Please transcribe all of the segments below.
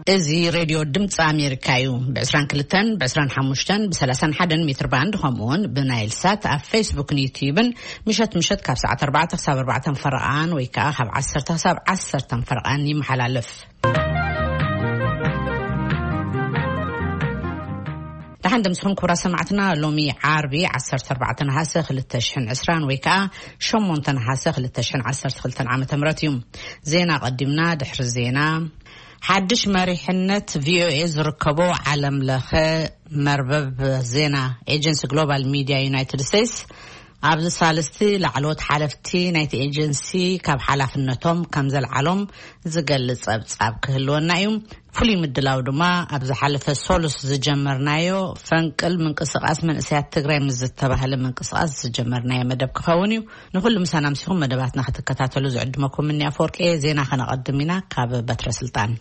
እዚ ሬድዮ ድምፂ ኣሜሪካ እዩ። ብ22፣ ብ25፣ ብ31 ሜትር ባንድ፣ ከምኡ እውን ብናይል ሳት ኣብ ፌስቡክን ዩትዩብን ምሸት ምሸት ካብ ሰዓት 4 ክሳብ 4 ፈረቓን ወይ ከዓ ካብ 10 ክሳብ 10 ፈረቓን ይመሓላለፍ። ደሓን ደምስኹም ክቡራት ሰማዕትና፣ ሎሚ ዓርቢ 14 ነሃሰ 2020 ወይ ከዓ 8 ነሃሰ 2012 ዓመተ ምህረት እዩ። ዜና ቀዲምና። ድሕሪ ዜና፣ ሓድሽ መሪሕነት ቪኦኤ ዝርከቦ ዓለም ለኸ መርበብ ዜና ኤጀንሲ ግሎባል ሚድያ ዩናይትድ ስቴትስ ኣብዚ ሳልስቲ ላዕለዎት ሓለፍቲ ናይቲ ኤጀንሲ ካብ ሓላፍነቶም ከም ዘልዓሎም ዝገልጽ ጸብጻብ ክህልወና እዩ። ፍሉይ ምድላው ድማ ኣብ ዝሓለፈ ሶሉስ ዝጀመርናዮ ፈንቅል ምንቅስቃስ መንእሰያት ትግራይ ምስ ዝተባህለ ምንቅስቃስ ዝጀመርናዮ መደብ ክኸውን እዩ። ንኹሉ ምሳና ምሲኹም መደባትና ክትከታተሉ ዝዕድመኩም እኒ ኣፈወርቂ። ዜና ከነቐድም ኢና ካብ በትረ ስልጣን።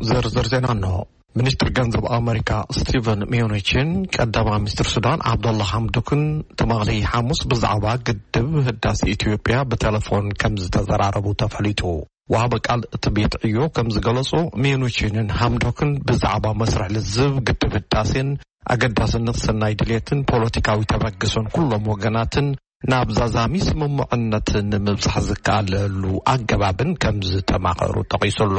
ዝርዝር ዜና እንሆ። ሚኒስትር ገንዘብ ኣመሪካ ስቲቨን ሚዩኒችን ቀዳማይ ሚኒስትር ሱዳን ዓብደላ ሓምዶክን ትማሊ ሓሙስ ብዛዕባ ግድብ ህዳሴ ኢትዮጵያ ብቴሌፎን ከም ዝተዘራረቡ ተፈሊጡ። ወሃቢ ቃል እቲ ቤት ዕዮ ከም ዝገለጾ፣ ሚዩኒችንን ሓምዶክን ብዛዕባ መስርሕ ልዝብ ግድብ ህዳሴን ኣገዳስነት ሰናይ ድሌትን ፖለቲካዊ ተበግሶን ኩሎም ወገናትን ናብ ዛዛሚ ስምምዕነት ንምብጻሕ ዝከኣለሉ ኣገባብን ከም ዝተማኸሩ ጠቒሱ ኣሎ።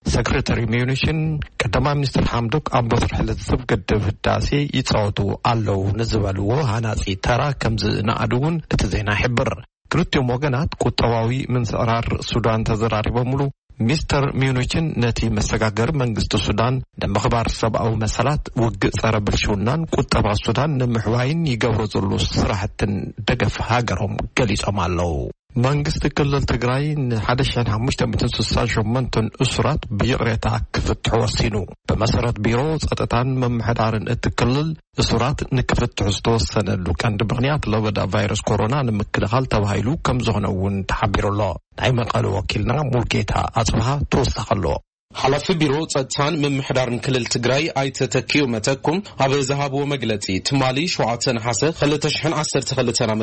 ሰክሬታሪ ሚዩኒሽን ቀዳማይ ሚኒስትር ሓምዶክ ኣብ መስርሕ ልዝብ ግድብ ህዳሴ ይጻወቱ ኣለዉ ንዝበልዎ ሃናጺ ተራ ከም ዝነኣዱ እውን እቲ ዜና ይሕብር። ክልቲኦም ወገናት ቁጠባዊ ምንስዕራር ሱዳን ተዘራሪቦምሉ። ሚስተር ሚዩኒችን ነቲ መሰጋገሪ መንግስቲ ሱዳን ንምኽባር ሰብኣዊ መሰላት፣ ውግእ ጸረ ብልሽውናን ቁጠባ ሱዳን ንምሕዋይን ይገብሮ ዘሎ ስራሕትን ደገፍ ሃገሮም ገሊጾም ኣለዉ። መንግስቲ ክልል ትግራይ ን1,568 እሱራት ብይቕሬታ ክፍትሑ ወሲኑ። ብመሰረት ቢሮ ጸጥታን ምምሕዳርን እቲ ክልል፣ እሱራት ንክፍትሑ ዝተወሰነሉ ቀንዲ ምኽንያት ለበዳ ቫይረስ ኮሮና ንምክልኻል ተባሂሉ ከም ዝኾነ እውን ተሓቢሩ ኣሎ። ናይ መቐለ ወኪልና ሙልጌታ ኣጽብሃ ተወሳኺ ኣሎ። ሓላፊ ቢሮ ጸጥታን ምምሕዳርን ክልል ትግራይ ኣይተ ተኪኡ መተኩም ኣብ ዝሃብዎ መግለጺ፣ ትማሊ ሸውዓተ ነሓሰ 2012 ዓ.ም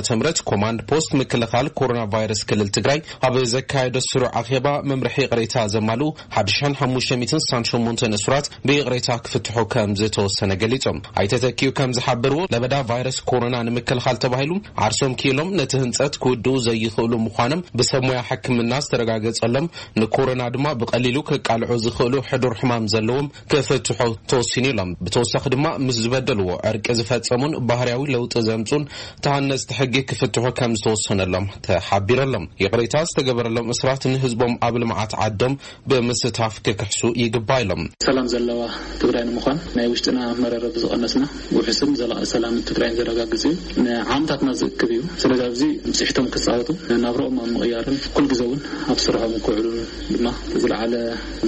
ኮማንድ ፖስት ምክልኻል ኮሮና ቫይረስ ክልል ትግራይ ኣብ ዘካየዶ ስሩዕ ኣኼባ መምርሒ ይቕሬታ ዘማልኡ 1,568 እሱራት ብይቕሬታ ክፍትሑ ከም ዝተወሰነ ገሊጾም። ኣይተ ተኪኡ ከም ዝሓበርዎ፣ ለበዳ ቫይረስ ኮሮና ንምክልኻል ተባሂሉ ዓርሶም ክኢሎም ነቲ ህንጸት ክውድኡ ዘይኽእሉ ምዃኖም ብሰብ ሞያ ሕክምና ዝተረጋገጸሎም፣ ንኮሮና ድማ ብቐሊሉ ክቃልዑ ዝኽእሉ ሕዱር ሕማም ዘለዎም ክፍትሑ ተወሲኑ ኢሎም። ብተወሳኺ ድማ ምስ ዝበደልዎ ዕርቂ ዝፈጸሙን ባህርያዊ ለውጢ ዘምጹን ተሃነጽቲ ሕጊ ክፍትሑ ከም ዝተወሰነሎም ተሓቢረሎም። ይቕሬታ ዝተገበረሎም እስራት ንህዝቦም ኣብ ልምዓት ዓዶም ብምስታፍ ክክሕሱ ይግባእ ኢሎም። ሰላም ዘለዋ ትግራይ ንምዃን ናይ ውሽጥና መረረብ ዝቐነስና፣ ውሑስን ዘላቒ ሰላምን ትግራይን ዘረጋግጽ እዩ። ንዓመታትና ዝእክብ እዩ። ስለዚ ኣብዚ ብፅሒቶም ክፃወቱ፣ ናብረኦም ኣብ ምቕያርን ኩል ግዜ እውን ኣብ ስርሖም ክውዕሉ ድማ ዝለዓለ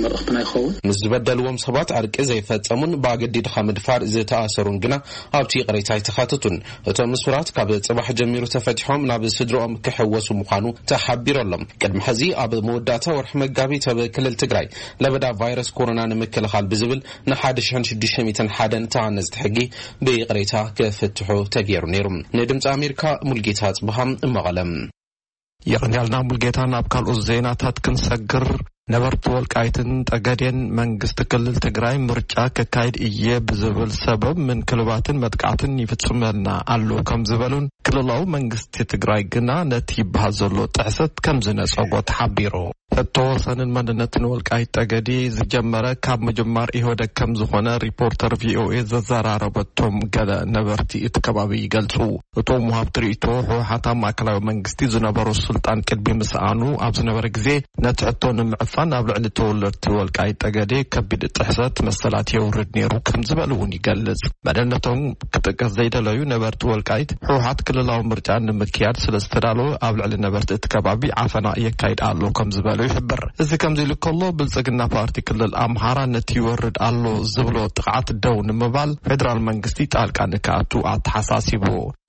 መልእኽትና ይኸውን። ምስ ዝበደልዎም ሰባት ዕርቂ ዘይፈጸሙን ብኣገዲድኻ ምድፋር ዝተኣሰሩን ግና ኣብቲ ይቕሬታ ኣይተኻተቱን። እቶም እሱራት ካብ ጽባሕ ጀሚሩ ተፈቲሖም ናብ ስድሮኦም ክሕወሱ ምዃኑ ተሓቢሩ ኣሎ። ቅድሚ ሕዚ ኣብ መወዳእታ ወርሒ መጋቢት ኣብ ክልል ትግራይ ለበዳ ቫይረስ ኮሮና ንምክልኻል ብዝብል ን1,601 ተሃነፅቲ ሕጊ ብይቕሬታ ክፍትሑ ተገይሩ ነይሩ። ንድምፂ ኣሜሪካ ሙልጌታ ኣፅብሃ፣ መቐለ። የቐንያልና ሙልጌታ። ናብ ካልኦት ዜናታት ክንሰግር፣ ነበርቲ ወልቃይትን ጠገዴን መንግስቲ ክልል ትግራይ ምርጫ ከካይድ እየ ብዝብል ሰበብ ምንክልባትን መጥቃዕትን ይፍጽመልና ኣሎ ከም ዝበሉን፣ ክልላዊ መንግስቲ ትግራይ ግና ነቲ ይበሃል ዘሎ ጥሕሰት ከም ዝነጸጎ ተሓቢሩ። ሕቶ ወሰንን መንነትን ወልቃይት ጠገዴ ዝጀመረ ካብ ምጅማር ኢህወደግ ከም ዝኾነ ሪፖርተር ቪኦኤ ዘዘራረበቶም ገለ ነበርቲ እቲ ከባቢ ይገልጹ። እቶም ወሃብቲ ርእይቶ፣ ህወሓት ኣብ ማእከላዊ መንግስቲ ዝነበሮ ስልጣን ቅድሚ ምስኣኑ ኣብ ዝነበረ ግዜ፣ ነቲ ሕቶ ንምዕፋን ኣብ ልዕሊ ተወለድቲ ወልቃይት ጠገዴ ከቢድ ጥሕሰት መሰላት የውርድ ነይሩ ከም ዝበሉ እውን ይገልጽ። መንነቶም ክጥቀስ ዘይደለዩ ነበርቲ ወልቃይት፣ ህወሓት ክልላዊ ምርጫ ንምክያድ ስለ ዝተዳለወ ኣብ ልዕሊ ነበርቲ እቲ ከባቢ ዓፈና የካይድ ኣሎ ከም ዝበሉ ይሕብር። እዚ ከምዚ ኢሉ ከሎ፣ ብልጽግና ፓርቲ ክልል ኣምሓራ ነቲ ይወርድ ኣሎ ዝብሎ ጥቕዓት ደው ንምባል ፌደራል መንግስቲ ጣልቃ ንክኣቱ ኣተሓሳሲቡ።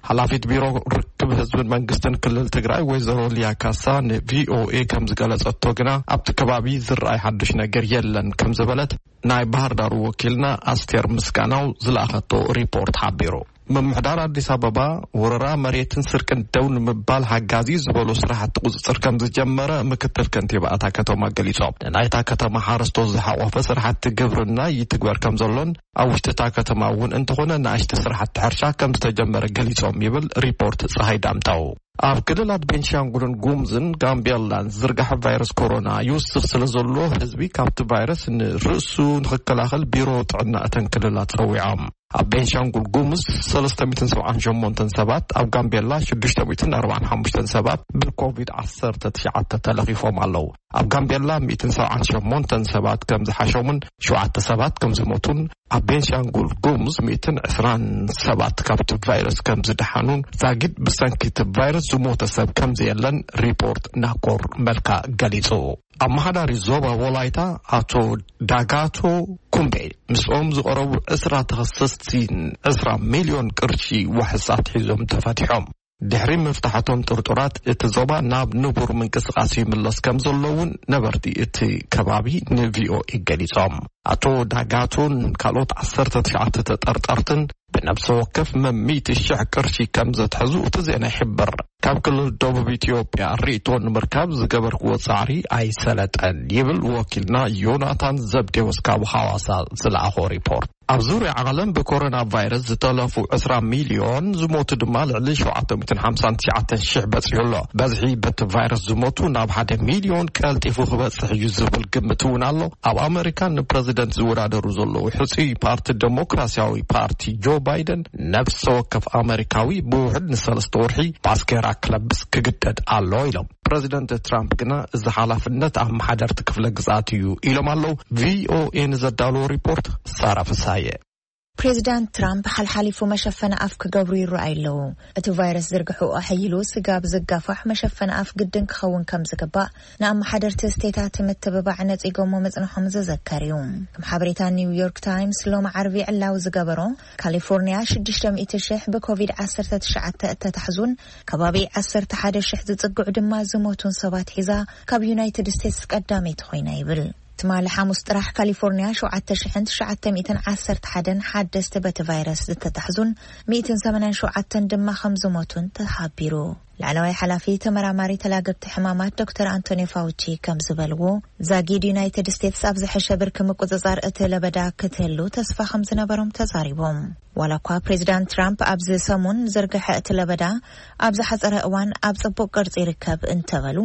ሓላፊት ቢሮ ርክብ ህዝብን መንግስትን ክልል ትግራይ ወይዘሮ ሊያ ካሳ ንቪኦኤ ከም ዝገለጸቶ ግና፣ ኣብቲ ከባቢ ዝረኣይ ሓዱሽ ነገር የለን ከም ዝበለት ናይ ባህር ዳሩ ወኪልና ኣስቴር ምስጋናው ዝለኣኸቶ ሪፖርት ሓቢሩ። ምምሕዳር ኣዲስ ኣበባ፣ ወረራ መሬትን ስርቅን ደው ንምባል ሓጋዚ ዝበሉ ስራሕቲ ቁፅፅር ከም ዝጀመረ ምክትል ከንቲባ እታ ከተማ ገሊፆም። ንናይታ ከተማ ሓረስቶት ዝሓቆፈ ስራሕቲ ግብርና ይትግበር ከም ዘሎን፣ ኣብ ውሽጢ እታ ከተማ እውን እንተኾነ ንኣሽቲ ስራሕቲ ሕርሻ ከም ዝተጀመረ ገሊፆም ይብል ሪፖርት ፀሃይ ዳምጠው። ኣብ ክልላት ቤንሻንጉልን ጉሙዝን ጋምቤላን ዝርጋሐ ቫይረስ ኮሮና ይውስኽ ስለ ዘሎ፣ ህዝቢ ካብቲ ቫይረስ ንርእሱ ንኽከላኸል ቢሮ ጥዕና እተን ክልላት ጸዊዖም። ኣብ ቤንሻንጉል ጉሙዝ ሰለስተ ሚእትን ሰብዓን ሸሞንተን ሰባት፣ ኣብ ጋምቤላ ሽዱሽተ ሚእትን ኣርባዓን ሓሙሽተን ሰባት ብኮቪድ ዓሰርተ ትሽዓተ ተለኺፎም ኣለዉ። ኣብ ጋምቤላ ሚእትን ሰብዓን ሸሞንተን ሰባት ከም ዝሓሾምን ሸውዓተ ሰባት ከም ዝሞቱን፣ ኣብ ቤንሻንጉል ጉሙዝ ሚእትን ዕስራን ሰባት ካብቲ ቫይረስ ከም ዝደሓኑን፣ ዛጊድ ብሰንኪ እቲ ቫይረስ ዝሞተ ሰብ ከም ዘየለን ሪፖርት ናኮር መልካ ገሊጹ። ኣመሓዳሪ ዞባ ወላይታ ኣቶ ዳጋቶ ኩምቤ ምስኦም ዝቐረቡ ዕስራ ተኸሰስቲን ዕስራ ሚልዮን ቅርሺ ዋሕስ ኣትሒዞም ተፈቲሖም። ድሕሪ ምፍታሓቶም ጥርጡራት እቲ ዞባ ናብ ንቡር ምንቅስቓስ ይምለስ ከም ዘሎ እውን ነበርቲ እቲ ከባቢ ንቪኦኤ ገሊጾም። ኣቶ ዳጋቶን ካልኦት ዓሰርተ ትሽዓተ ተጠርጠርትን ብነብሰ ወከፍ መሚእቲ ሽሕ ቅርሺ ከም ዘትሐዙ እቲ ዜና ይሕብር። ካብ ክልል ደቡብ ኢትዮጵያ ርእይቶ ንምርካብ ዝገበርክዎ ጻዕሪ ኣይሰለጠን ይብል ወኪልና ዮናታን ዘብዴዎስ ካብ ሃዋሳ ዝለኣኾ ሪፖርት። ኣብ ዙርያ ዓለም ብኮሮና ቫይረስ ዝተለፉ ዕስራ ሚልዮን፣ ዝሞቱ ድማ ልዕሊ ሸውዓተ ሚእትን ሓምሳን ትሽዓተን ሽሕ በጺሑ ኣሎ። በዝሒ በቲ ቫይረስ ዝሞቱ ናብ ሓደ ሚልዮን ቀልጢፉ ክበጽሕ እዩ ዝብል ግምት እውን ኣሎ። ኣብ ኣመሪካ ንፕረዚደንት ዝወዳደሩ ዘለዉ ሕጹይ ፓርቲ ደሞክራሲያዊ ፓርቲ ጆ ባይደን፣ ነፍሰ ወከፍ ኣመሪካዊ ብውሕድ ንሰለስተ ወርሒ ባስኬራ ክለብስ ክግደድ ኣሎ ኢሎም። ፕረዚደንት ትራምፕ ግና እዚ ሓላፍነት ኣመሓደርቲ ክፍለ ግዝኣት እዩ ኢሎም ኣለዉ። ቪኦኤ ንዘዳለዎ ሪፖርት ሳራ ፍሳየ። ፕሬዚዳንት ትራምፕ ሓልሓሊፉ መሸፈኒ ኣፍ ክገብሩ ይረኣዩ ኣለዉ። እቲ ቫይረስ ዝርግሕኡ ኣሐይሉ ስጋብ ዝጋፋሕ መሸፈኒ ኣፍ ግድን ክኸውን ከም ዝግባእ ንኣመሓደርቲ ስቴታት ምትብባዕ ነጺጎሞ ምጽንሖም ዝዝከር እዩ። ከም ሓበሬታ ኒውዮርክ ታይምስ ሎሚ ዓርቢ ዕላዊ ዝገበሮ፣ ካሊፎርኒያ ሽዱሽተ ሚእቲ ሽሕ ብኮቪድ ዓሰርተ ትሽዓተ እተታሕዙን ከባቢ ዓሰርተ ሓደ ሽሕ ዝጽግዑ ድማ ዝሞቱን ሰባት ሒዛ ካብ ዩናይትድ ስቴትስ ቀዳመይቲ ኮይና ይብል። ትማሊ ሓሙስ ጥራሕ ካሊፎርኒያ ሸውዓተ ሽሕን ትሽዓተ ሚእትን ዓሰርተ ሓደን ሓደስቲ በቲ ቫይረስ ዝተታሕዙን ሚእትን ሰማንያን ሸውዓተን ድማ ከም ዝሞቱን ተሓቢሩ። ላዕለዋይ ሓላፊ ተመራማሪ ተላገብቲ ሕማማት ዶክተር ኣንቶኒ ፋውቺ ከም ዝበልዎ፣ ዛጊድ ዩናይትድ ስቴትስ ኣብ ዝሐሸ ብርኪ ምቁጽጻር እቲ ለበዳ ክትህሉ ተስፋ ከም ዝነበሮም ተዛሪቦም። ዋላ እኳ ፕሬዚዳንት ትራምፕ ኣብዚ ሰሙን ዝርግሐ እቲ ለበዳ ኣብ ዝሓጸረ እዋን ኣብ ጽቡቕ ቅርጺ ይርከብ እንተበሉ፣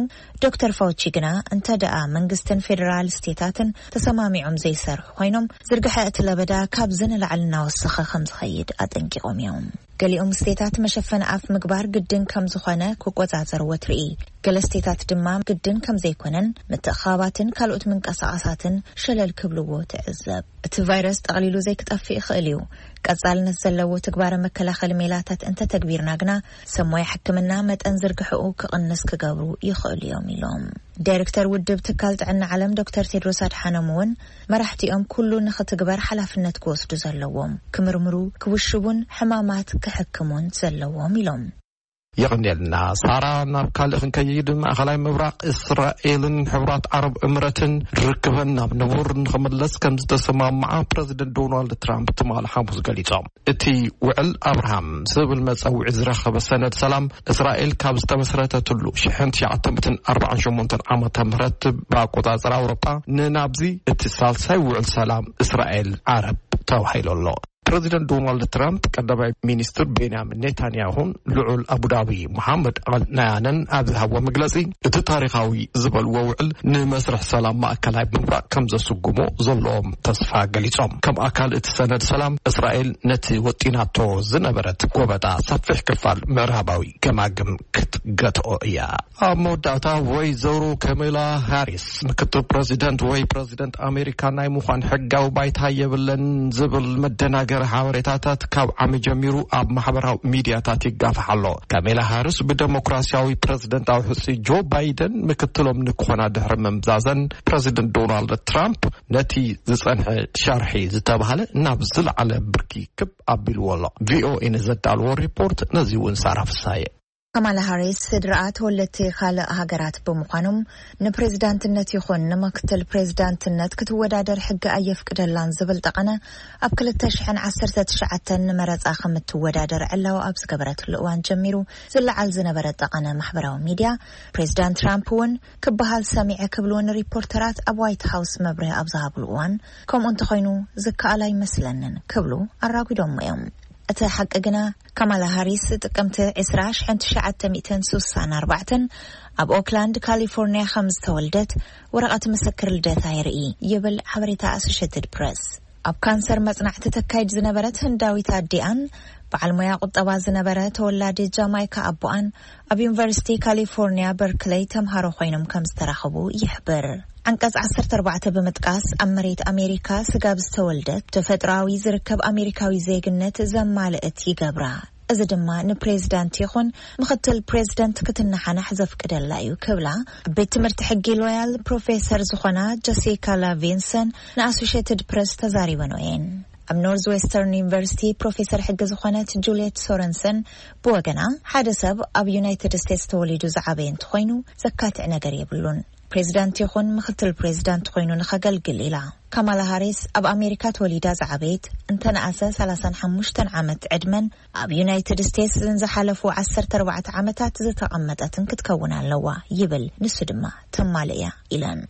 ዶክተር ፋውቺ ግና እንተ ደኣ መንግስትን ፌደራል ስቴታትን ተሰማሚዖም ዘይሰርሑ ኮይኖም፣ ዝርግሐ እቲ ለበዳ ካብዚ ንላዕሊ እናወሰኸ ከም ዝኸይድ ኣጠንቂቖም እዮም። ገሊኦም ስቴታት መሸፈኒ ኣፍ ምግባር ግድን ከም ዝኾነ ክቆጻጸርዎ ትርኢ። ገለ ስቴታት ድማ ግድን ከም ዘይኮነን ምትእኻባትን ካልኦት ምንቀሳቐሳትን ሸለል ክብልዎ ትዕዘብ። እቲ ቫይረስ ጠቕሊሉ ዘይክጠፍእ ይኽእል እዩ። ቀጻልነት ዘለዎ ትግባረ መከላኸሊ ሜላታት እንተተግቢርና ግና፣ ሰብ ሞያ ሕክምና መጠን ዝርግሕኡ ክቕንስ ክገብሩ ይኽእሉ እዮም ኢሎም። ዳይሬክተር ውድብ ትካል ጥዕና ዓለም ዶክተር ቴድሮስ ኣድሓኖም እውን፣ መራሕቲኦም ኩሉ ንኽትግበር ሓላፍነት ክወስዱ ዘለዎም፣ ክምርምሩ፣ ክውሽቡን ሕማማት ክሕክሙን ዘለዎም ኢሎም። የቐንየልና ሳራ። ናብ ካልእ ክንከይድ፣ ማእኸላይ ምብራቕ፣ እስራኤልን ሕቡራት ዓረብ እምረትን ርክበን ናብ ንቡር ንኽምለስ ከም ዝተሰማምዓ ፕረዚደንት ዶናልድ ትራምፕ ትማሊ ሓሙስ ገሊጾም። እቲ ውዕል ኣብርሃም ዝብል መጸውዒ ዝረኸበ ሰነድ ሰላም፣ እስራኤል ካብ ዝተመስረተትሉ ሽሕን ትሽዓተ ሚእትን ኣርባዓን ሸሞንተን ዓመተ ምህረት ብኣቆጻጽራ ኣውሮጳ ንናብዚ እቲ ሳልሳይ ውዕል ሰላም እስራኤል ዓረብ ተባሂሉ ኣሎ። ፕረዚደንት ዶናልድ ትራምፕ፣ ቀዳማይ ሚኒስትር ቤንያሚን ኔታንያሁን ልዑል ኣቡዳቢ መሓመድ ኣል ናያንን ኣብ ዝሃብዎ መግለጺ፣ እቲ ታሪኻዊ ዝበልዎ ውዕል ንመስርሕ ሰላም ማእከላይ ምብራቕ ከም ዘስጉሞ ዘለዎም ተስፋ ገሊጾም። ከም ኣካል እቲ ሰነድ ሰላም፣ እስራኤል ነቲ ወጢናቶ ዝነበረት ጎበጣ ሰፊሕ ክፋል ምዕራባዊ ገማግም ክትገትኦ እያ። ኣብ መወዳእታ፣ ወይዘሮ ካሜላ ሃሪስ ምክትል ፕረዚደንት ወይ ፕረዚደንት ኣሜሪካ ናይ ምዃን ሕጋዊ ባይታ የብለን ዝብል መደናገሪ ሓበሬታታት ካብ ዓሚ ጀሚሩ ኣብ ማሕበራዊ ሚድያታት ይጋፋሕ ኣሎ። ካሜላ ሃሪስ ብደሞክራሲያዊ ፕረዚደንታዊ ሕጹ ጆ ባይደን ምክትሎም ንክኾና ድሕሪ ምምዛዘን፣ ፕረዚደንት ዶናልድ ትራምፕ ነቲ ዝጸንሐ ሸርሒ ዝተባህለ ናብ ዝለዓለ ብርኪ ክብ ኣቢልዎ ኣሎ። ቪኦኤ ንዘዳልዎ ሪፖርት ነዚ እውን ሳራ ፍሳየ። ካማላ ሃሪስ ስድራኣ ተወለድቲ ካልእ ሃገራት ብምዃኖም፣ ንፕሬዝዳንትነት ይኹን ንምክትል ፕሬዝዳንትነት ክትወዳደር ሕጊ ኣየፍቅደላን ዝብል ጠቐነ ኣብ ክልተ ሽሕን ዓሰርተ ትሽዓተን ንመረጻ ከም እትወዳደር ዕላዊ ኣብ ዝገበረትሉ እዋን ጀሚሩ ዝለዓል ዝነበረ ጠቐነ ማሕበራዊ ሚድያ፣ ፕሬዝዳንት ትራምፕ እውን ክበሃል ሰሚዐ ክብሉ ንሪፖርተራት ኣብ ዋይት ሃውስ መብርሂ ኣብ ዝሃብሉ እዋን፣ ከምኡ እንተኾይኑ ዝከኣል ኣይመስለንን ክብሉ ኣራጒዶሞ እዮም። እቲ ሓቂ ግና፣ ካማላ ሃሪስ ጥቅምቲ ዕስራ ሽሕን ትሽዓተ ሚእትን ስሳን ኣርባዕተን ኣብ ኦክላንድ ካሊፎርኒያ ከም ዝተወልደት ወረቐት ምስክር ልደታ የርኢ ይብል ሓበሬታ ኣሶሼትድ ፕረስ። ኣብ ካንሰር መጽናዕቲ ተካይድ ዝነበረት ህንዳዊት ኣዲኣን በዓል ሞያ ቁጠባ ዝነበረ ተወላዲ ጃማይካ ኣቦኣን ኣብ ዩኒቨርሲቲ ካሊፎርኒያ በርክለይ ተምሃሮ ኮይኖም ከም ዝተራኸቡ ይሕብር። ዓንቀጽ ዓሰርተ ኣርባዕተ ብምጥቃስ ኣብ መሬት ኣሜሪካ ስጋብ ዝተወልደት ተፈጥሮኣዊ ዝርከብ ኣሜሪካዊ ዜግነት ዘማልእት ይገብራ። እዚ ድማ ንፕሬዝዳንት ይኹን ምኽትል ፕሬዝዳንት ክትነሓናሕ ዘፍቅደላ እዩ ክብላ ኣብ ቤት ትምህርቲ ሕጊ ሎያል ፕሮፌሰር ዝኾና ጀሲካ ላቪንሰን ንኣሶሼትድ ፕረስ ተዛሪበን እየን። ኣብ ኖርዝ ዌስተርን ዩኒቨርሲቲ ፕሮፌሰር ሕጊ ዝኾነት ጁልየት ሶረንሰን ብወገና፣ ሓደ ሰብ ኣብ ዩናይትድ ስቴትስ ተወሊዱ ዝዓበየ እንተኾይኑ ዘካትዕ ነገር የብሉን። ፕሬዝዳንት ይኹን ምኽትል ፕሬዝዳንት ኮይኑ ንኸገልግል ኢላ። ካማላ ሃሪስ ኣብ ኣሜሪካ ተወሊዳ ዝዓበየት፣ እንተነኣሰ ሰላሳን ሓሙሽተን ዓመት ዕድመን ኣብ ዩናይትድ ስቴትስ ዝሓለፉ ዓሰርተ ኣርባዕተ ዓመታት ዝተቐመጠትን ክትከውን ኣለዋ ይብል። ንሱ ድማ ተማልእ እያ ኢለን።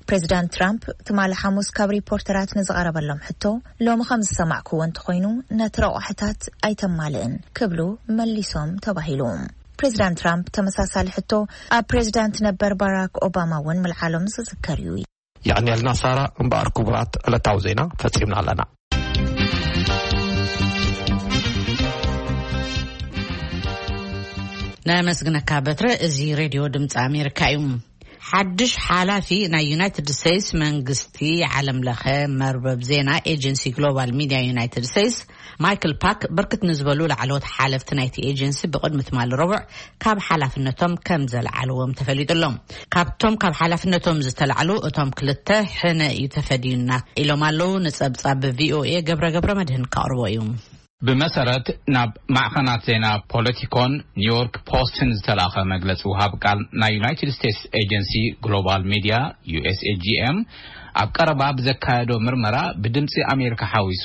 ፕሬዝዳንት ትራምፕ ትማሊ ሓሙስ ካብ ሪፖርተራት ንዝቐረበሎም ሕቶ፣ ሎሚ ከም ዝሰማዕክዎ እንተኾይኑ ነቲ ረቑሕታት ኣይተማልእን ክብሉ መሊሶም ተባሂሉ። ፕሬዝዳንት ትራምፕ ተመሳሳሊ ሕቶ ኣብ ፕሬዝዳንት ነበር ባራክ ኦባማ እውን ምልዓሎም ዝዝከር እዩ። የቐንየልና ሳራ። እምበኣር ክቡራት ዕለታዊ ዜና ፈጺምና ኣለና። ነመስግነካ በትረ። እዚ ሬድዮ ድምፂ ኣሜሪካ እዩ። ሓድሽ ሓላፊ ናይ ዩናይትድ ስቴትስ መንግስቲ ዓለም ለኸ መርበብ ዜና ኤጀንሲ ግሎባል ሚድያ ዩናይትድ ስቴትስ ማይክል ፓክ ብርክት ንዝበሉ ላዕለዎት ሓለፍቲ ናይቲ ኤጀንሲ ብቕድሚ ትማሊ ረቡዕ ካብ ሓላፍነቶም ከም ዘልዓልዎም ተፈሊጡ ኣሎ። ካብቶም ካብ ሓላፍነቶም ዝተላዕሉ እቶም ክልተ ሕነ እዩ ተፈድዩና ኢሎም ኣለዉ። ንጸብጻብ ቪኦኤ ገብረ ገብረ መድህን ከቕርቦ እዩ። ብመሰረት ናብ ማዕኸናት ዜና ፖለቲኮን ኒውዮርክ ፖስትን ዝተላእኸ መግለጺ፣ ውሃብ ቃል ናይ ዩናይትድ ስቴትስ ኤጀንሲ ግሎባል ሚድያ ዩ ኤስ ኤ ጂ ኤም ኣብ ቀረባ ብዘካየዶ ምርመራ ብድምፂ ኣሜሪካ ሓዊሱ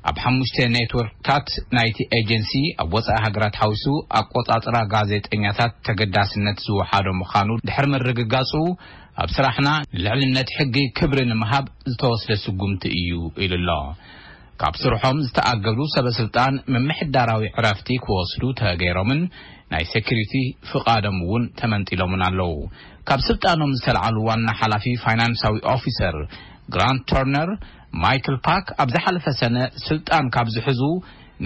ኣብ ሓሙሽተ ኔትወርክታት ናይቲ ኤጀንሲ ኣብ ወፃኢ ሃገራት ሓዊሱ ኣቆፃፅራ ጋዜጠኛታት ተገዳስነት ዝወሓዶ ምዃኑ ድሕሪ ምርግጋፁ፣ ኣብ ስራሕና ንልዕልነት ሕጊ ክብሪ ንምሃብ ዝተወስደ ስጉምቲ እዩ ኢሉ ኣሎ። ካብ ስርሖም ዝተኣገዱ ሰበ ስልጣን ምምሕዳራዊ ዕረፍቲ ክወስዱ ተገይሮምን ናይ ሴኩሪቲ ፍቓዶም እውን ተመንጢሎምን ኣለዉ። ካብ ስልጣኖም ዝተልዓሉ ዋና ሓላፊ ፋይናንሳዊ ኦፊሰር ግራንት ተርነር፣ ማይክል ፓክ ኣብ ዝሓለፈ ሰነ ስልጣን ካብ ዝሕዙ፣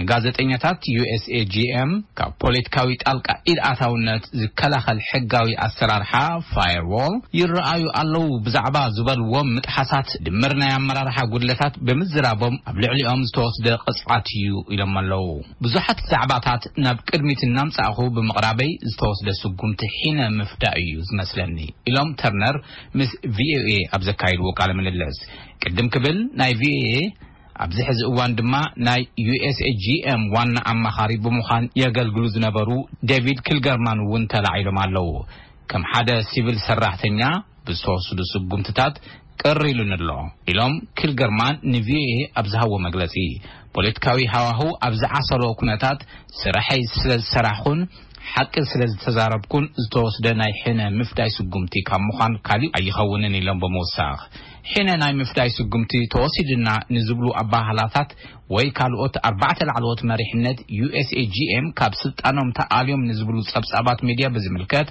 ንጋዜጠኛታት ዩ ኤስ ኤ ጂ ኤም ካብ ፖለቲካዊ ጣልቃ ኢድ ኣታውነት ዝከላኸል ሕጋዊ ኣሰራርሓ ፋየርዎል ይረኣዩ ኣለዉ ብዛዕባ ዝበልዎም ምጥሓሳት ድምር ናይ ኣመራርሓ ጉድለታት ብምዝራቦም ኣብ ልዕሊኦም ዝተወስደ ቅፅዓት እዩ ኢሎም ኣለዉ። ብዙሓት ዛዕባታት ናብ ቅድሚት እናምጻእኹ ብምቕራበይ ዝተወስደ ስጉምቲ ሒነ ምፍዳእ እዩ ዝመስለኒ ኢሎም ተርነር ምስ ቪኦኤ ኣብ ዘካየድዎ ቃለ ምልልስ። ቅድም ክብል ናይ ቪኦኤ ኣብዚ ሕዚ እዋን ድማ ናይ ዩ ኤስ ኤ ጂ ኤም ዋና ኣማኻሪ ብምዃን የገልግሉ ዝነበሩ ዴቪድ ክልገርማን እውን ተላዒሎም ኣለዉ። ከም ሓደ ሲቪል ሰራሕተኛ ብዝተወስዱ ስጉምትታት ቅር ኢሉኒ ኣሎ ኢሎም ክልገርማን ን ቪ ኦ ኤ ኣብ ዝሃብዎ መግለጺ። ፖለቲካዊ ሃዋህው ኣብ ዝዓሰሎ ኩነታት ስርሐይ ስለ ዝሰራሕኩን ሓቂ ስለ ዝተዛረብኩን ዝተወስደ ናይ ሕነ ምፍዳይ ስጉምቲ ካብ ምዃን ካሊእ ኣይኸውንን ኢሎም ብምውሳኽ፣ ሕነ ናይ ምፍዳይ ስጉምቲ ተወሲድና ንዝብሉ ኣባህላታት ወይ ካልኦት ኣርባዕተ ላዕለዎት መሪሕነት ዩ ኤስ ኤ ጂ ኤም ካብ ስልጣኖም ተኣልዮም ንዝብሉ ጸብጻባት ሚድያ ብዝምልከት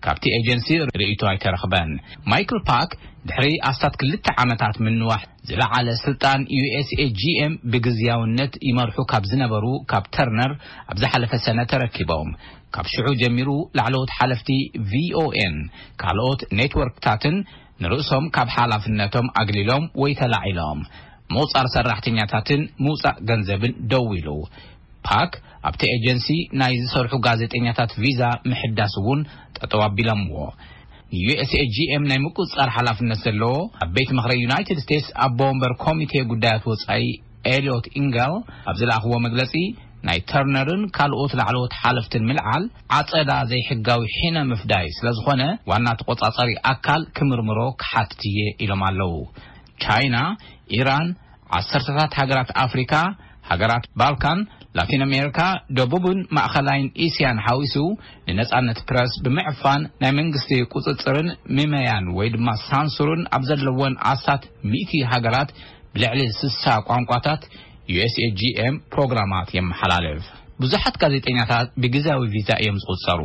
ካብቲ ኤጀንሲ ርእይቶ ኣይተረኽበን። ማይክል ፓክ ድሕሪ ኣስታት ክልተ ዓመታት ምንዋሕ ዝለዓለ ስልጣን ዩ ኤስ ኤ ጂ ኤም ብግዝያውነት ይመርሑ ካብ ዝነበሩ ካብ ተርነር ኣብ ዝሓለፈ ሰነ ተረኪቦም። ካብ ሽዑ ጀሚሩ ላዕለዎት ሓለፍቲ ቪ ኦ ኤን ካልኦት ኔትወርክታትን ንርእሶም ካብ ሓላፍነቶም ኣግሊሎም ወይ ተላዒሎም። ምቑጻር ሰራሕተኛታትን ምውጻእ ገንዘብን ደው ኢሉ። ፓክ ኣብቲ ኤጀንሲ ናይ ዝሰርሑ ጋዜጠኛታት ቪዛ ምሕዳስ እውን ጠጠው ኣቢሎምዎ። ን ዩ ኤስ ኤ ጂ ኤም ናይ ምቁጽጻር ሓላፍነት ዘለዎ ኣብ ቤት ምኽሪ ዩናይትድ ስቴትስ ኣቦ ወንበር ኮሚቴ ጉዳያት ወጻኢ ኤልዮት ኢንገል ኣብ ዝለኣኽዎ መግለጺ፣ ናይ ተርነርን ካልኦት ላዕለዎት ሓለፍትን ምልዓል ዓጸዳ ዘይሕጋዊ ሒነ ምፍዳይ ስለ ዝኾነ፣ ዋና ተቆጻጻሪ ኣካል ክምርምሮ ክሓትት እየ ኢሎም ኣለዉ። ቻይና፣ ኢራን፣ ዓሰርተታት ሃገራት ኣፍሪካ፣ ሃገራት ባልካን፣ ላቲን ኣሜሪካ፣ ደቡብን ማእኸላይን እስያን ሓዊሱ፣ ንነጻነት ፕረስ ብምዕፋን ናይ መንግስቲ ቁጽጽርን ምመያን ወይ ድማ ሳንሱርን ኣብ ዘለወን ኣስታት ሚእቲ ሃገራት ብልዕሊ ስሳ ቋንቋታት ዩ ኤስ ኤ ጂ ኤም ፕሮግራማት የመሓላልፍ። ብዙሓት ጋዜጠኛታት ብግዝያዊ ቪዛ እዮም ዝቑጸሩ።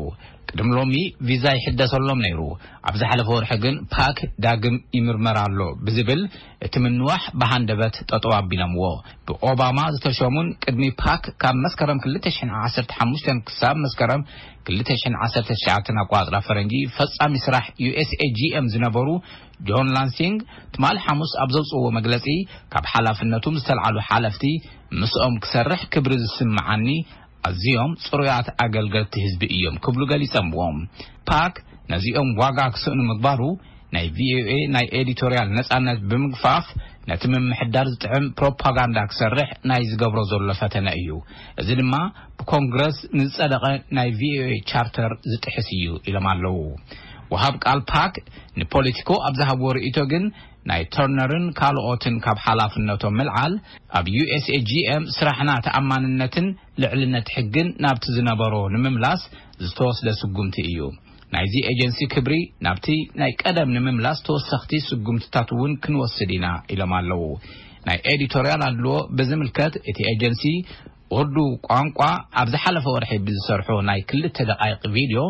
ቅድሚ ሎሚ ቪዛ ይሕደሰሎም ነይሩ። ኣብ ዝሓለፈ ወርሒ ግን ፓክ ዳግም ይምርመር ኣሎ ብዝብል እቲ ምንዋሕ ብሃንደበት ጠጠው ኣቢሎምዎ። ብኦባማ ዝተሸሙን ቅድሚ ፓክ ካብ መስከረም ክልተ ሽሕን ዓሰርተ ሓሙሽተን ክሳብ መስከረም ክልተ ሽሕን ዓሰርተ ትሽዓተን ኣቋጽራ ፈረንጂ ፈጻሚ ስራሕ ዩ ኤስ ኤ ጂ ኤም ዝነበሩ ጆን ላንሲንግ ትማሊ ሓሙስ ኣብ ዘውፅዎ መግለፂ፣ ካብ ሓላፍነቶም ዝተልዓሉ ሓለፍቲ ምስኦም ክሰርሕ ክብሪ ዝስምዓኒ ኣዝዮም ጽሩያት ኣገልገልቲ ህዝቢ እዮም ክብሉ ገሊጸምዎም። ፓክ ነዚኦም ዋጋ ክስእኑ ምግባሩ ናይ ቪ ኦ ኤ ናይ ኤዲቶርያል ነጻነት ብምግፋፍ ነቲ ምምሕዳር ዝጥዕም ፕሮፓጋንዳ ክሰርሕ ናይ ዝገብሮ ዘሎ ፈተነ እዩ። እዚ ድማ ብኮንግረስ ንዝጸደቐ ናይ ቪ ኦ ኤ ቻርተር ዝጥሕስ እዩ ኢሎም ኣለዉ። ወሃብ ቃል ፓክ ንፖለቲኮ ኣብ ዝሃብዎ ርእይቶ ግን ናይ ተርነርን ካልኦትን ካብ ሓላፍነቶም ምልዓል ኣብ ዩ ኤስ ኤ ጂ ኤም ስራሕና ተኣማንነትን ልዕልነት ሕግን ናብቲ ዝነበሮ ንምምላስ ዝተወስደ ስጉምቲ እዩ። ናይዚ ኤጀንሲ ክብሪ ናብቲ ናይ ቀደም ንምምላስ ተወሰኽቲ ስጉምትታት እውን ክንወስድ ኢና ኢሎም ኣለዉ። ናይ ኤዲቶርያል ኣድልዎ ብዝምልከት እቲ ኤጀንሲ ኡርዱ ቋንቋ ኣብ ዝሓለፈ ወርሒ ብዝሰርሖ ናይ ክልተ ደቃይቕ ቪድዮ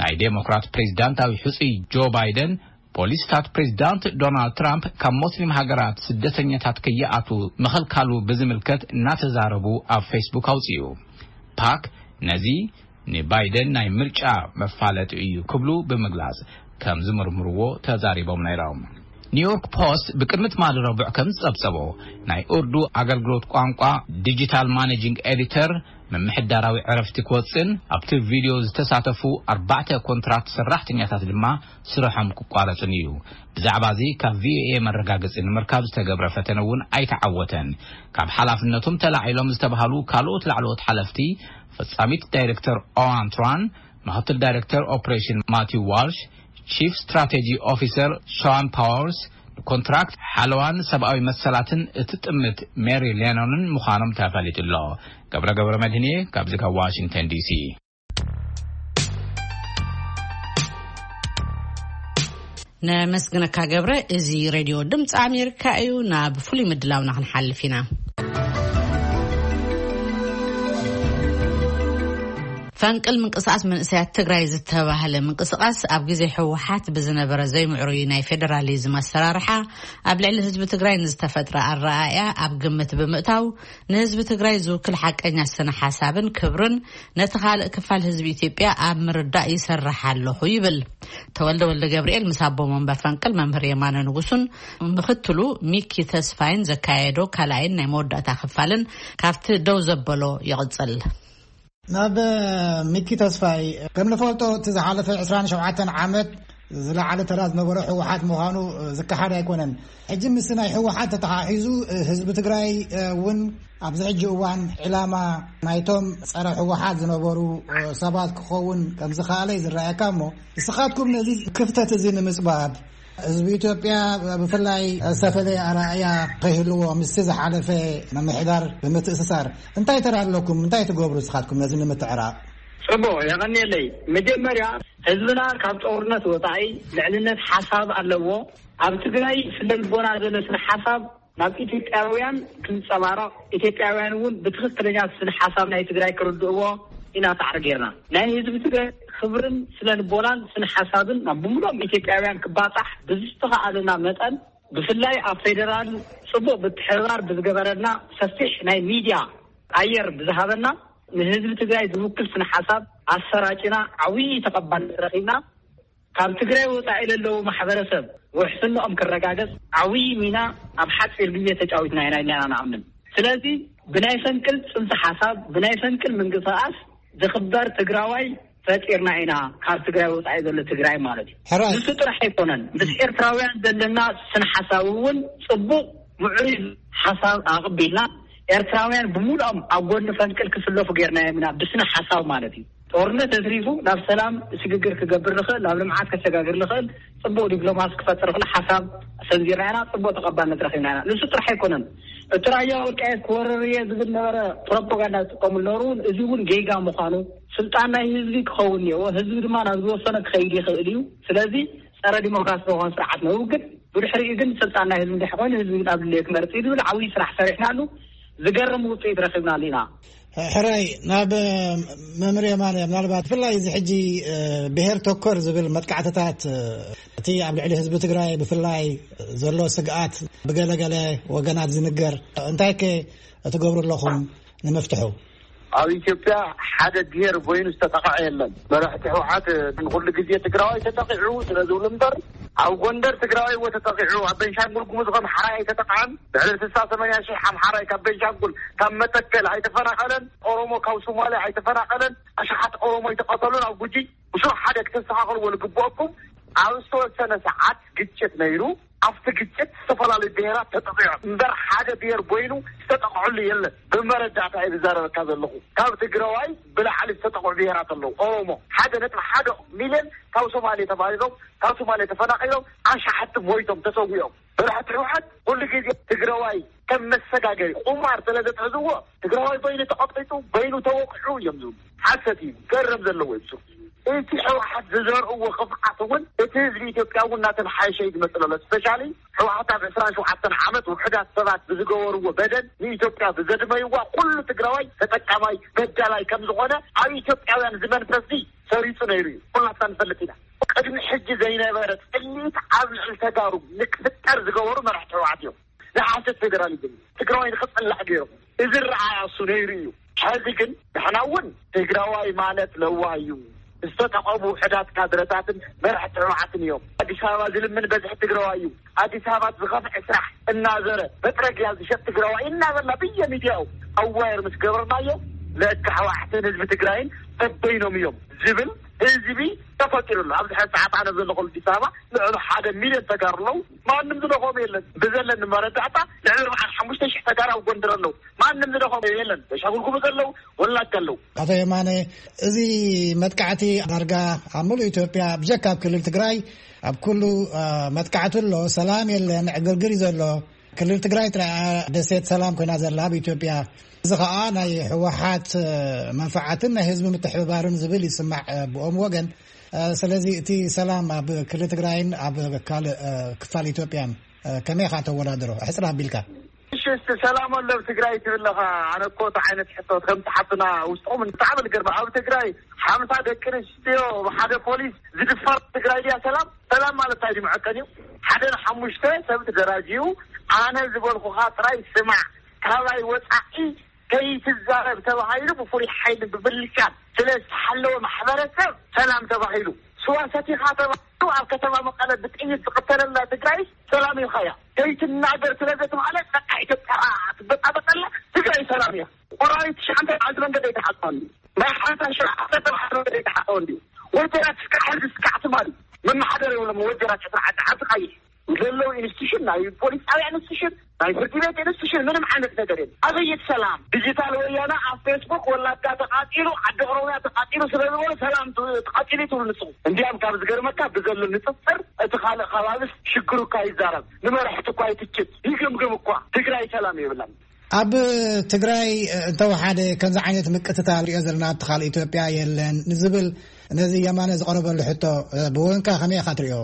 ናይ ዴሞክራት ፕሬዚዳንታዊ ሕፁይ ጆ ባይደን ፖሊስታት ፕሬዚዳንት ዶናልድ ትራምፕ ካብ ሞስሊም ሃገራት ስደተኛታት ከይኣቱ ምኽልካሉ ብዝምልከት እናተዛረቡ ኣብ ፌስቡክ ኣውፅኡ። ፓክ ነዚ ንባይደን ናይ ምርጫ መፋለጢ እዩ ክብሉ ብምግላጽ ከም ዝምርምርዎ ተዛሪቦም ነይሮም። ኒውዮርክ ፖስት ብቅድሚ ትማሊ ረቡዕ ከም ዝጸብጸቦ፣ ናይ ኡርዱ ኣገልግሎት ቋንቋ ዲጂታል ማኔጂንግ ኤዲተር ምምሕዳራዊ ዕረፍቲ ክወጽእን ኣብቲ ቪድዮ ዝተሳተፉ ኣርባዕተ ኮንትራት ሰራሕተኛታት ድማ ስርሖም ክቋረጽን እዩ። ብዛዕባ እዚ ካብ ቪ ኦ ኤ መረጋገጺ ንምርካብ ዝተገብረ ፈተነ እውን ኣይተዓወተን። ካብ ሓላፍነቶም ተላዒሎም ዝተባሃሉ ካልኦት ላዕለዎት ሓለፍቲ፣ ፈጻሚት ዳይሬክተር ኦዋን ትራን፣ ምክትል ዳይሬክተር ኦፕሬሽን ማቲው ዋልሽ፣ ቺፍ ስትራቴጂ ኦፊሰር ሾዋን ፓወርስ፣ ንኮንትራክት ሓለዋን ሰብኣዊ መሰላትን እቲ ጥምት ሜሪ ሌኖንን ምዃኖም ተፈሊጡ ኣሎ። ገብረ ገብረ መድህንየ ካብዚ ካብ ዋሽንግተን ዲ ሲ። ነመስግነካ ገብረ። እዚ ሬድዮ ድምፂ ኣሜሪካ እዩ። ናብ ፍሉይ ምድላውና ክንሓልፍ ኢና። ፈንቅል ምንቅስቃስ መንእሰያት ትግራይ ዝተባህለ ምንቅስቃስ ኣብ ግዜ ህወሓት ብዝነበረ ዘይምዕሩይ ናይ ፌደራሊዝም ኣሰራርሓ ኣብ ልዕሊ ህዝቢ ትግራይ ንዝተፈጥረ ኣረኣእያ ኣብ ግምት ብምእታው ንህዝቢ ትግራይ ዝውክል ሓቀኛ ስነ ሓሳብን ክብርን ነቲ ካልእ ክፋል ህዝቢ ኢትዮጵያ ኣብ ምርዳእ ይሰርሕ ኣለኹ ይብል። ተወልደ ወልደ ገብርኤል ምስ ኣቦ መንበር ፈንቅል መምህር የማነ ንጉሱን ምክትሉ ሚኪ ተስፋይን ዘካየዶ ካልኣይን ናይ መወዳእታ ክፋልን ካብቲ ደው ዘበሎ ይቕጽል። ናብ ሚኪ ተስፋይ፣ ከም ንፈልጦ እቲ ዝሓለፈ ዕስራን ሸውዓተን ዓመት ዝለዓለ ተራ ዝነበሮ ህወሓት ምዃኑ ዝከሓድ ኣይኮነን። ሕጂ ምስ ናይ ህወሓት ተተሓሒዙ ህዝቢ ትግራይ እውን ኣብዚ ሕጂ እዋን ዕላማ ናይቶም ጸረ ህወሓት ዝነበሩ ሰባት ክኸውን ከም ዝኸኣለ እዩ ዝረኣየካ። እሞ ንስኻትኩም ነዚ ክፍተት እዚ ንምጽባብ ህዝቢ ኢትዮጵያ ብፍላይ ዝተፈለየ ኣረኣእያ ከይህልዎ ምስቲ ዝሓለፈ ምምሕዳር ብምትእስሳር እንታይ ተራ ኣለኩም? እንታይ ትገብሩ ንስኻትኩም ነዚ ንምትዕራቕ? ጽቡቕ፣ የቐንየለይ። መጀመርያ ህዝብና ካብ ጦርነት ወጻኢ ልዕልነት ሓሳብ ኣለዎ። ኣብ ትግራይ ስነ ልቦና ዘሎ ስነ ሓሳብ ናብ ኢትዮጵያውያን ክንጸባረቕ፣ ኢትዮጵያውያን እውን ብትኽክለኛ ስነ ሓሳብ ናይ ትግራይ ክርድእዎ ኢና ጻዕሪ ጌርና። ናይ ህዝቢ ትግራይ ክብርን ስነ ልቦናን ስነ ሓሳብን ናብ ብምሉኦም ኢትዮጵያውያን ክባጻሕ ብዝተኻእለና መጠን፣ ብፍላይ ኣብ ፌደራል ጽቡቕ ምትሕብባር ብዝገበረልና፣ ሰፊሕ ናይ ሚድያ ኣየር ብዝሃበና፣ ንህዝቢ ትግራይ ዝውክል ስነ ሓሳብ ኣሰራጭና ዓብዪ ተቐባልነት ረኺብና። ካብ ትግራይ ወጻኢ ለለዉ ማሕበረሰብ ውሕስንኦም ክረጋገጽ ዓብዪ ሚና ኣብ ሓጺር ግዜ ተጫዊትና ኢና ኢልና ኢና ንኣምን። ስለዚ ብናይ ፈንቅል ጽንሰ ሓሳብ፣ ብናይ ፈንቅል ምንቅስቃስ ዝኽበር ትግራዋይ ፈጢርና ኢና፣ ካብ ትግራይ ወጻኢ ዘሎ ትግራይ ማለት እዩ። ሕራይ። ንሱ ጥራሕ ኣይኮነን፣ ምስ ኤርትራውያን ዘለና ስነ ሓሳብ እውን ጽቡቕ ምዕሩይ ሓሳብ ኣቕቢልና ኤርትራውያን ብሙሉኦም ኣብ ጎኒ ፈንቅል ክስለፉ ጌርናዮም ኢና፣ ብስነ ሓሳብ ማለት እዩ። ጦርነት ኣትሪፉ ናብ ሰላም ስግግር ክገብር ዝኽእል፣ ናብ ልምዓት ከሰጋግር ዝኽእል፣ ጽቡቕ ዲፕሎማሲ ክፈጥር ዝኽእል ሓሳብ ሰንዚርና ኢና፣ ጽቡቕ ተቐባልነት ረኺብና ኢና። ንሱ ጥራሕ ኣይኮነን፣ እቲ ራያ ወልቃየት ክወርር እየ ዝብል ነበረ ፕሮፓጋንዳ ዝጥቀሙ ነበሩ። እውን እዚ እውን ጌጋ ምዃኑ፣ ስልጣን ናይ ህዝቢ ክኸውን እየዎ፣ ህዝቢ ድማ ናብ ዝወሰነ ክኸይድ ይኽእል እዩ። ስለዚ ጸረ ዲሞክራሲ ዝኾነ ስርዓት ነውግድ፣ ብድሕሪኡ ግን ስልጣን ናይ ህዝቢ እንድሕር ኮይኑ ህዝቢ ናብ ድልዮ ክመርጽ እዩ ዝብል ዓብዪ ስራሕ ሰሪሕናሉ። ዝገርም ውፅኢት ረኺብናሉ ኢና። ሕራይ ናብ መምህር የማነ፣ ምናልባት ብፍላይ እዚ ሕጂ ብሄር ተኮር ዝብል መጥቃዕትታት፣ እቲ ኣብ ልዕሊ ህዝቢ ትግራይ ብፍላይ ዘሎ ስግኣት ብገለገለ ወገናት ዝንገር፣ እንታይ ከ ትገብሩ ኣለኹም ንምፍትሑ? ኣብ ኢትዮጵያ ሓደ ብሄር በይኑ ዝተጠቕዐ የለን። መራሕቲ ህወሓት ንኩሉ ግዜ ትግራዋይ ተጠቂዑ ስለ ዝብሉ እምበር፣ ኣብ ጎንደር ትግራዋይ እወ ተጠቂዑ፣ ኣብ ቤንሻንጉል ጉሙዝ ከም ሓራይ ኣይተጠቕዐን። ልዕሊ ስሳ ሰማንያ ሺሕ ኣምሓራይ ካብ ቤንሻንጉል፣ ካብ መተከል ኣይተፈናቐለን። ኦሮሞ ካብ ሶማሊያ ኣይተፈናቐለን። ኣሽሓት ኦሮሞ ኣይተቐተሉን ኣብ ጉጂ። ብሱሩ ሓደ ክተስተኻኸልዎ ዝግብኦኩም፣ ኣብ ዝተወሰነ ሰዓት ግጭት ነይሩ። ኣብቲ ግጭት ዝተፈላለዩ ብሄራት ተጠቂዖም እምበር ሓደ ብሄር በይኑ ዝተጠቕዐሉ የለን። ብመረዳእታ እየ ዝዛረበካ ዘለኹ። ካብ ትግራዋይ ብላዕሊ ዝተጠቕዑ ብሄራት ኣለዉ። ኦሮሞ ሓደ ነጥቢ ሓደ ሚልዮን ካብ ሶማሌ ተባሪሮም፣ ካብ ሶማሌ ተፈናቒሎም፣ ኣሽሓት ሞይቶም ተሰዊኦም። መራሕቲ ህወሓት ኩሉ ግዜ ትግራዋይ ከም መሰጋገሪ ቁማር ስለ ዘትሕዝዎ፣ ትግራዋይ በይኑ ተቐጢጡ፣ በይኑ ተወቂዑ እዮም ዝብሉ። ሓሰት እዩ፣ ገረብ ዘለዎ እዩ። እቲ ህወሓት ዝዘርእዎ ክፍዓት እውን እቲ ህዝቢ ኢትዮጵያ እውን እናተመሓየሸ እዩ ዝመፅእ ዘሎ። ስፔሻሊ ህወሓት ኣብ ዕስራን ሸውዓተን ዓመት ውሑዳት ሰባት ብዝገበርዎ በደል ንኢትዮጵያ ብዘድመይዋ ኩሉ ትግራዋይ ተጠቃማይ በዳላይ ከም ዝኾነ ኣብ ኢትዮጵያውያን እዚ መንፈስ እዚ ሰሪፁ ነይሩ እዩ። ኩላትና ንፈልጥ ኢና። ቅድሚ ሕጂ ዘይነበረ ፅልኢት ኣብ ልዕሊ ተጋሩ ንክፍጠር ዝገበሩ መራሕቲ ህወሓት እዮም። ንሓሰት ፌደራሊዝም ትግራዋይ ንክፅላዕ ገይሮም። እዚ ረኣያ እሱ ነይሩ እዩ። ሕዚ ግን ንሕና እውን ትግራዋይ ማለት ለዋህ እዩ። ዝተጠቐሙ ውሕዳት ካድረታትን መራሕቲ ህወሓትን እዮም። ኣዲስ ኣበባ ዝልምን በዝሒ ትግራዋይ እዩ። ኣዲስ ኣበባ ዝኸፍዐ ስራሕ እናዘረ መጥረግያ ዝሸጥ ትግራዋይ እናበላ ብየሚድያኡ ኣዋየር ምስ ገበርናዮ፣ ለካ ህወሓትን ህዝቢ ትግራይን በበይኖም እዮም ዝብል ህዝቢ ተፈጢሩ ኣሎ። ኣብዚ ሕዚ ሰዓት ኣነ ዘለኹ ኣዲስ ኣበባ ልዕሊ ሓደ ሚልዮን ተጋሩ ኣለዉ። ማንም ዝደኾም የለን። ብዘለኒ መረዳእታ ልዕሊ ኣርባዓን ሓሙሽተ ሺሕ ተጋሩ ኣብ ጎንደር ኣለዉ። ማንም ዝደኾም የለን። ቤንሻንጉል ጉሙዝ ኣለዉ፣ ወላይታ ኣለዉ። ኣቶ የማነ፣ እዚ መጥቃዕቲ ዳርጋ ኣብ ሙሉእ ኢትዮጵያ ብጀካ ኣብ ክልል ትግራይ ኣብ ኩሉ፣ አ፣ መጥቃዕቲ ኣሎ፣ ሰላም የለን፣ ዕግርግር እዩ ዘሎ። ክልል ትግራይ ጥራይ እያ ደሴት ሰላም ኮይና ዘላ ኣብ ኢትዮጵያ። እዚ ኸኣ ናይ ህወሓት መንፈዓትን ናይ ህዝቢ ምትሕብባርን ዝብል ይስማዕ ብኦም ወገን። ስለዚ እቲ ሰላም ኣብ ክልል ትግራይን ኣብ ካልእ ክፋል ኢትዮጵያን ከመይ ኢኻ ተወዳድሮ? ኣሕጽር ኣቢልካ። እሺ፣ እስቲ ሰላም ኣሎ ኣብ ትግራይ ትብል ኣለኻ። ኣነ እኮ እቲ ዓይነት ሕቶ ከምቲ ሓፍትና ውስጥኹም ብጣዕሚ ዝገርም። ኣብ ትግራይ ሓምሳ ደቂ ኣንስትዮ ብሓደ ፖሊስ ዝድፈር ትግራይ ድያ ሰላም? ሰላም ማለት እንታይ ድዩ? መዐቀኒ እዩ። ሓደ ንሓሙሽተ ሰብ ተደራጅዩ፣ ኣነ ዝበልኩኻ ጥራይ ስማዕ፣ ካባይ ወጻኢ ከይትዛረብ ተባሂሉ ብፍሉይ ሓይሊ ብምልሻን ስለ ዝተሓለወ ማሕበረሰብ ሰላም ተባሂሉ። ስዋ ሰቲኻ ተባሂሉ ኣብ ከተማ መቐለ ብጥይት ዝቕተለላ ትግራይ ሰላም ኢልካያ። ከይትናገር ስለ ዘተባህለ በቃ ኢትዮጵያ ትበጣበጠላ፣ ትግራይ ሰላም እያ። ቆራሪት ትሽዓተ መዓልቲ መንገዲ ኣይተሓጽበን። ናይ ሓምሳ ሸውዓተ መዓልቲ መንገዲ ኣይተሓጽበን ድዩ? ወጀራት እስካዕ ሕዚ እስካዕ ትማሊ መመሓደር የብሎም። ወጀራት ዕስራ ዓዲ ዓዲ ቀይሕ ዘለዉ ኢንስቲቱሽን፣ ናይ ፖሊስ ጣብያ ኢንስቲቱሽን፣ ናይ ፍርዲ ቤት ኢንስቲቱሽን፣ ምንም ዓይነት ነገር የለን። ኣበየት ሰላም? ዲጂታል ወያነ ኣብ ፌስቡክ ወላጋ ተቃጺሉ፣ ዓዲ ኦሮምያ ተቃጺሉ ስለ ዝበሉ ሰላም ት-፣ ተቃጺሉ ትብሉ ንስኹም። እንዲያም ካብ ዝገርመካ ብዘሎ ንጽጽር እቲ ካልእ ከባቢስ ሽግሩ እኳ ይዛረብ፣ ንመራሕቲ እኳ ይትችት፣ ይግምግም እኳ። ትግራይ ሰላም የብላን። ኣብ ትግራይ እንተወሓደ ከምዚ ዓይነት ምቅትታል ንሪኦ ዘለና ኣብቲ ካልእ ኢትዮጵያ የለን ንዝብል ነዚ የማነ ዝቐረበሉ ሕቶ ብወገንካ ከመይ ኢኻ ትሪኦ?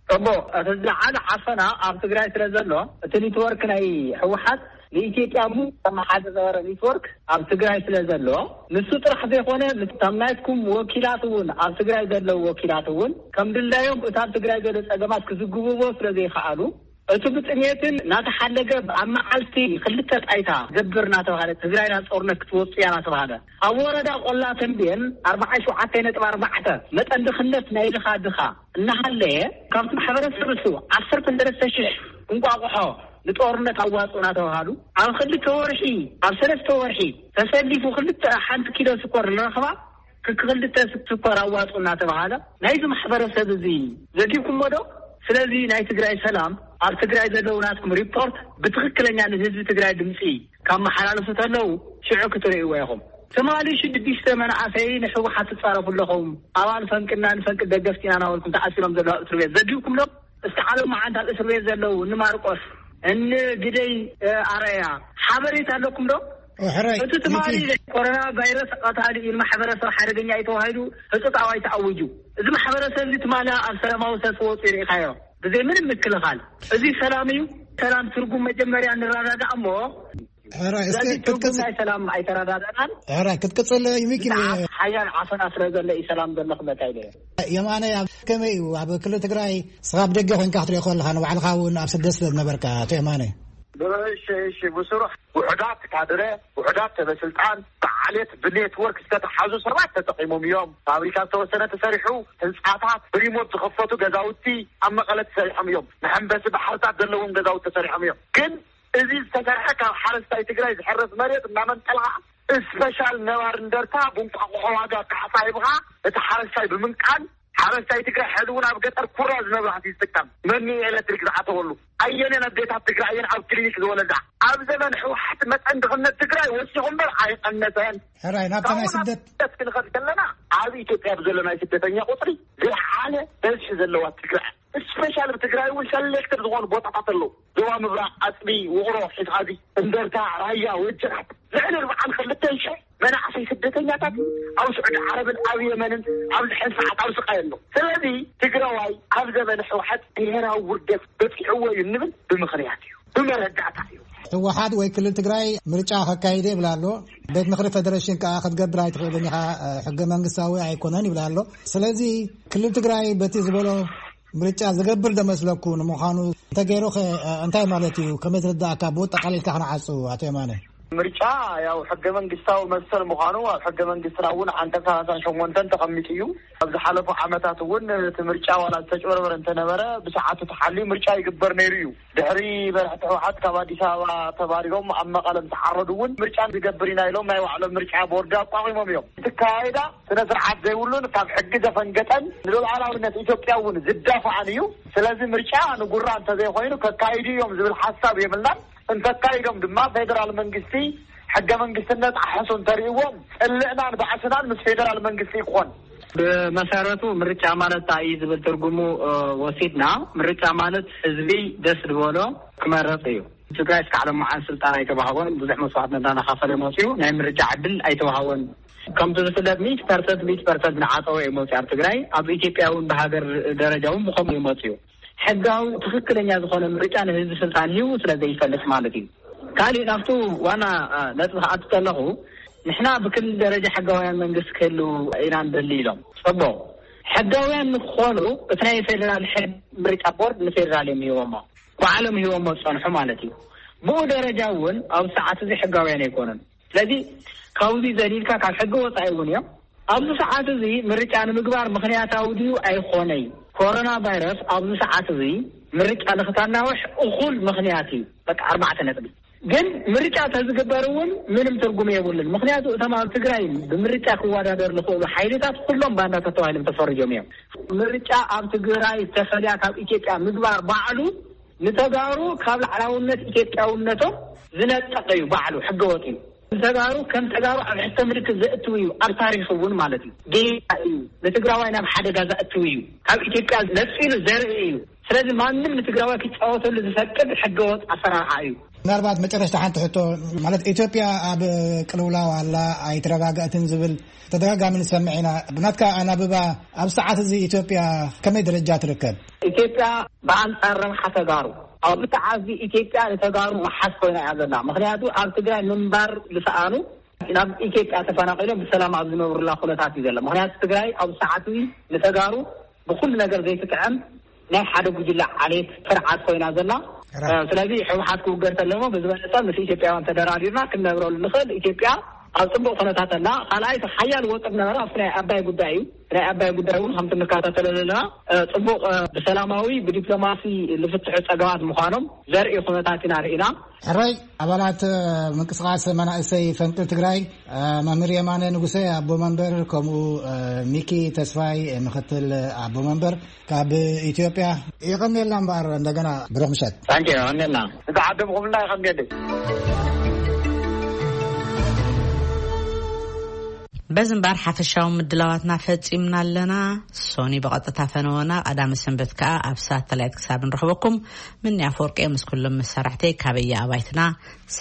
እሞ እቲ ዝለዓለ ዓፈና ኣብ ትግራይ ስለ ዘሎ፣ እቲ ኔትወርክ ናይ ህወሓት ንኢትዮጵያ ሙሉእ ዘመሓድር ዝነበረ ኔትወርክ ኣብ ትግራይ ስለ ዘሎ፣ ንሱ ጥራሕ ዘይኮነ፣ ምስቶም ናትኩም ወኪላት እውን፣ ኣብ ትግራይ ዘለዉ ወኪላት እውን ከም ድላዮም እቲ ኣብ ትግራይ ዘሎ ጸገማት ክዝግብዎ ስለ ዘይከኣሉ፣ እቲ ብጥሜትን እናተሓለገ ኣብ መዓልቲ ክልተ ጣይታ ገብር እናተባሃለ፣ ትግራይ ናብ ጦርነት ክትወጽእ እያ እናተባሃለ፣ ኣብ ወረዳ ቆላ ተንቤን ኣርባዓ ሸውዓተ ነጥቢ ኣርባዕተ መጠን ድኽነት ናይ ድኻ ድኻ እናሃለየ፣ ካብቲ ማሕበረሰብ እሱ ዓሰርተ ሰለስተ ሽሕ እንቋቑሖ ንጦርነት ኣዋፅኡ እናተባሃሉ፣ ኣብ ክልተ ወርሒ፣ ኣብ ሰለስተ ወርሒ ተሰሊፉ ክልተ፣ ሓንቲ ኪሎ ስኮር ንረኽባ፣ ክልተ ስኮር ኣዋፅኡ እናተባሃለ፣ ናይዚ ማሕበረሰብ እዚ ዘጊብኩሞ ዶ? ስለዚ ናይ ትግራይ ሰላም ኣብ ትግራይ ዘለዉ ናትኩም ሪፖርት ብትኽክለኛ ንህዝቢ ትግራይ ድምፂ ካብ መሓላለፉ ተለዉ ሽዑ ክትርእይዎ ኢኹም። ትማሊ ሽዱሽተ መናእሰይ ንሕወሓት ትፃረፉ ኣለኹም፣ ኣባል ፈንቅና ንፈንቅል ደገፍቲ ኢና እናበልኩም ተኣሲሮም ዘለዉ ኣብ እስር ቤት ዘዲብኩም ዶ? እስቲ ዓለም መዓንት ኣብ እስር ቤት ዘለዉ እኒ ማርቆስ፣ እኒ ግደይ፣ እ፣ ኣረያ ሓበሬታ ኣለኩም ዶ? ሕራይ እቲ ትማሊ ኮሮና ቫይረስ ቀታሊ እዩ፣ ንማሕበረሰብ ሓደገኛ እዩ ተባሂሉ ህፁፅ ኣዋጅ ተኣዊጁ። እዚ ማሕበረሰብ እዚ ትማሊ ኣብ ሰላማዊ ሰልፊ ወፂኡ ርኢኻዮ ብዘይ ምንም ምክልኻል። እዚ ሰላም እዩ። ሰላም ትርጉም መጀመርያ ንረዳዳእ እሞ ሕራይ እስከ ዘዚ ትርጉም ክትቅጽል ናይ ሰላም ኣይተረዳዳእናን። ሕራይ ክትቅጽል ይምኪን። ብዛዕባ ሓያል ዓፈና ስለ ዘሎ እዩ ሰላም ዘሎ ክመታ ኢለ። የማነ ኣብ ከመይ እዩ ኣብ ክልል ትግራይ? ስኻ ኣብ ደገ ኮይንካ ክትሪኦ ከለኻ ንባዕልኻ እውን ኣብ ስደት ስለ ዝነበርካ ኣቶ የማነ። እሺ፣ እሺ፣ ብስሩዕ ውሑዳት ካድረ፣ ውሑዳት ሰበስልጣን፣ ብዓሌት ብኔትወርክ ዝተተሓዙ ሰባት ተጠቒሞም እዮም። ፋብሪካ ዝተወሰነ ተሰሪሑ፣ ህንፃታት ብሪሞት ዝኸፈቱ ገዛውቲ ኣብ መቐለ ተሰሪሖም እዮም። መሐንበሲ ባሕርታት ዘለዎም ገዛውቲ ተሰሪሖም እዮም። ግን እዚ ዝተሰርሐ ካብ ሓረስታይ ትግራይ ዝሕረስ መሬት እናመንጠልካ እስፔሻል ነባሪ እንደርታ ብእንቋቑሖ ዋጋ ካሕሳ ሂብኻ እቲ ሓረስታይ ብምንቃል ሓረስታይ ትግራይ ሕዚ እውን ኣብ ገጠር ኩራ ዝነብራሕቲ ዝጥቀም መኒ ኤሌክትሪክ ዝኣተወሉ ኣየነን ኣዴታት ትግራይ እየን ኣብ ክሊኒክ ዝወለዳ ኣብ ዘመን ሕወሓት መጠን ድኽነት ትግራይ ወሲኹ እምበር ኣይቐነሰን። ሕራይ ናብታ ናይ ስደት ስደት ክንኸድ ከለና ኣብ ኢትዮጵያ ብዘሎ ናይ ስደተኛ ቁፅሪ ዝለዓለ በዝሒ ዘለዋ ትግራይ ስፔሻል ብትግራይ እውን ሰሌክትድ ዝኾኑ ቦታታት ኣለዉ። ዞባ ምብራቕ ኣፅቢ ውቕሮ ሒዝኻዚ እንደርታ ራያ ወጀራት ልዕሊ ኣርባዓን ክልተን ሽሕ መናእሰይ ስደተኛታት ኣብ ስዑዲ ዓረብን ኣብ የመንን ኣብዚ ሕዚ ሰዓት ኣብ ስቃይ ኣሎ። ስለዚ ትግራዋይ ኣብ ዘመነ ሕወሓት ብሄራዊ ውርደት በፂዕዎ እዩ እንብል ብምኽንያት እዩ፣ ብመረዳእታ እዩ። ህወሓት ወይ ክልል ትግራይ ምርጫ ከካይደ ይብላ ኣሎ። ቤት ምኽሪ ፌደሬሽን ከዓ ክትገብር ኣይትኽእልን ኢኻ፣ ሕገ መንግስታዊ ኣይኮነን ይብላ ኣሎ። ስለዚ ክልል ትግራይ በቲ ዝበሎ ምርጫ ዝገብር ዶ መስለኩ? ንምዃኑ እንተገይሩ ከ እንታይ ማለት እዩ? ከመይ ዝርዳእካ? ብኡ ጠቃሊልካ ክንዓጹ ኣቶ የማነ። ምርጫ ያው ሕገ መንግስታዊ መሰል ምዃኑ ኣብ ሕገ መንግስትና እውን ዓንቀጽ ሰላሳን ሸሞንተን ተቐሚጡ እዩ። ኣብ ዝሓለፉ ዓመታት እውን እቲ ምርጫ ዋላ ዝተጭበርበረ እንተነበረ ብሰዓቱ ተሓልዩ ምርጫ ይግበር ነይሩ እዩ። ድሕሪ መራሕቲ ህወሓት ካብ ኣዲስ ኣበባ ተባሪሮም ኣብ መቐለ ምስ ዓረዱ እውን ምርጫ ንገብር ኢና ኢሎም ናይ ባዕሎም ምርጫ ቦርድ ኣቋቒሞም እዮም። እቲ ኣካያይዳ ስነ ስርዓት ዘይብሉን ካብ ሕጊ ዘፈንገጠን ንሉዓላዊነት ኢትዮጵያ እውን ዝዳፋዕን እዩ። ስለዚ ምርጫ ንጉራ እንተዘይኮይኑ ከካይዱ እዮም ዝብል ሓሳብ የብልናን። እንተካይዶም ድማ ፌደራል መንግስቲ ሕገ መንግስቲ እናጣሓሱ እንተርእይዎም ፅልእናን ባእስናን ምስ ፌደራል መንግስቲ ይኾን። ብመሰረቱ ምርጫ ማለት እንታይ እዩ ዝብል ትርጉሙ ወሲድና ምርጫ ማለት ህዝቢ ደስ ዝበሎ ክመረፅ እዩ። ትግራይ እስካዕ ሎምዓን ስልጣን ኣይተዋህቦን፣ ብዙሕ መስዋዕትነት እናኸፈለ መፅኡ፣ ናይ ምርጫ ዕድል ኣይተዋህቦን። ከምቲ ዝፍለጥ ሚእቲ ፐርሰንት ሚእቲ ፐርሰንት ንዓፀዎ እዩ መፅኡ ኣብ ትግራይ። ኣብ ኢትዮጵያ እውን ብሃገር ደረጃ እውን ብኸምኡ እዩ መፅኡ። ሕጋዊ ትኽክለኛ ዝኾነ ምርጫ ንህዝቢ ስልጣን ሂቡ ስለ ዘይፈልጥ ማለት እዩ። ካሊእ ናብቱ ዋና ነጥቢ ክኣቱ ከለኹ ንሕና ብክልል ደረጃ ሕጋውያን መንግስቲ ክህልው ኢና ንደሊ ኢሎም። ፅቡቕ ሕጋውያን ንክኾኑ እቲ ናይ ፌደራል ሕግ ምርጫ ቦርድ ንፌደራል እዮም ሂቦሞ፣ ባዕሎም ሂቦሞ ዝፀንሑ ማለት እዩ። ብኡ ደረጃ እውን ኣብ ሰዓት እዚ ሕጋውያን ኣይኮኑን። ስለዚ ካብዚ ዘሊልካ ካብ ሕጊ ወፃኢ እውን እዮም። ኣብዚ ሰዓት እዚ ምርጫ ንምግባር ምኽንያታዊ ድዩ ኣይኾነይ? ኮሮና ቫይረስ ኣብዚ ሰዓት እዚ ምርጫ ንክታናውሕ እኹል ምኽንያት እዩ። በቃ ኣርባዕተ ነጥቢ። ግን ምርጫ ተዝግበር እውን ምንም ትርጉም የብሉን። ምኽንያቱ እቶም ኣብ ትግራይ ብምርጫ ክወዳደር ዝኽእሉ ሓይልታት ኩሎም ባንዳታት ተባሂሎም ተፈርጆም እዮም። ምርጫ ኣብ ትግራይ ዝተፈልያ ካብ ኢትዮጵያ ምግባር ባዕሉ ንተጋሩ ካብ ላዕላውነት ኢትዮጵያውነቶም ዝነጠቀ እዩ። ባዕሉ ሕገወጥ እዩ። ንተጋሩ ከም ተጋሩ ኣብ ሕቶ ምልክት ዘእትው እዩ። ኣብ ታሪክ እውን ማለት እዩ ጌጋ እዩ። ንትግራዋይ ናብ ሓደጋ ዘእትው እዩ። ካብ ኢትዮጵያ ነፂሉ ዘርኢ እዩ። ስለዚ ማንም ንትግራዋይ ክጫወተሉ ዝፈቅድ ሕገወጥ ኣሰራርሓ እዩ። ምናልባት መጨረሽታ ሓንቲ ሕቶ ማለት ኢትዮጵያ ኣብ ቅልውላው ኣላ ኣይትረጋጋእትን ዝብል ተደጋጋሚ ንሰምዕ ኢና። ብናትካ ኣናብባ ኣብ ሰዓት እዚ ኢትዮጵያ ከመይ ደረጃ ትርከብ? ኢትዮጵያ ብኣንጻር ረብሓ ተጋሩ ኣብዚ ሰዓት እዚ ኢትዮጵያ ንተጋሩ መሓዝ ኮይና እያ ዘላ። ምኽንያቱ ኣብ ትግራይ ምንባር ዝሰኣኑ ናብ ኢትዮጵያ ተፈናቒሎም ብሰላም ኣብ ዝነብሩላ ኩነታት እዩ ዘሎ። ምኽንያቱ ትግራይ ኣብ ሰዓት እዚ ንተጋሩ ብኩሉ ነገር ዘይትጥዕም ናይ ሓደ ጉጅለ ዓሌት ስርዓት ኮይና ዘላ። ስለዚ ሕወሓት ክውገድ ተለሞ ብዝበለፀ ምስ ኢትዮጵያውያን ተደራዲርና ክንነብረሉ ንኽእል። ኢትዮጵያ ኣብ ፅቡቅ ኩነታት ኣላ። ካልኣይ እቲ ሓያል ወጥር ነበረ ኣብቲ ናይ ኣባይ ጉዳይ እዩ። ናይ ኣባይ ጉዳይ እውን ከምቲ እንከታተሎ ዘለና፣ እ፣ ጽቡቕ፣ እ፣ ብሰላማዊ ብዲፕሎማሲ ዝፍትሑ ጸገማት ምዃኖም ዘርኢ ኩነታት ኢና ርኢና። ሕራይ ኣባላት፣ እ፣ ምንቅስቃስ መናእሰይ ፈንቅል ትግራይ፣ እ፣ መምህር የማነ ንጉሰ ኣቦ መንበር፣ ከምኡ፣ እ፣ ሚኪ ተስፋይ ምክትል ኣቦ መንበር ካብ ኢትዮጵያ። የቐንየልና እምበኣር እንደገና ብሩኽ ምሸት። ታንኪ፣ የቐንየልና። እቲ ዓደምኹምና ይቐንየልይ። በዚ እምበኣር ሓፈሻዊ ምድላዋትና ፈጺምና ኣለና። ሶኒ ብቐጥታ ፈነወና፣ ቀዳመ ሰንበት ከኣ ኣብ ሳተላይት ክሳብ ንረኽበኩም፣ ምኒ ኣፈወርቂ ምስ ኩሎም መሳርሕተይ ካበየ ኣባይትና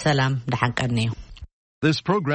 ሰላም ደሓን ቀንዩ። This program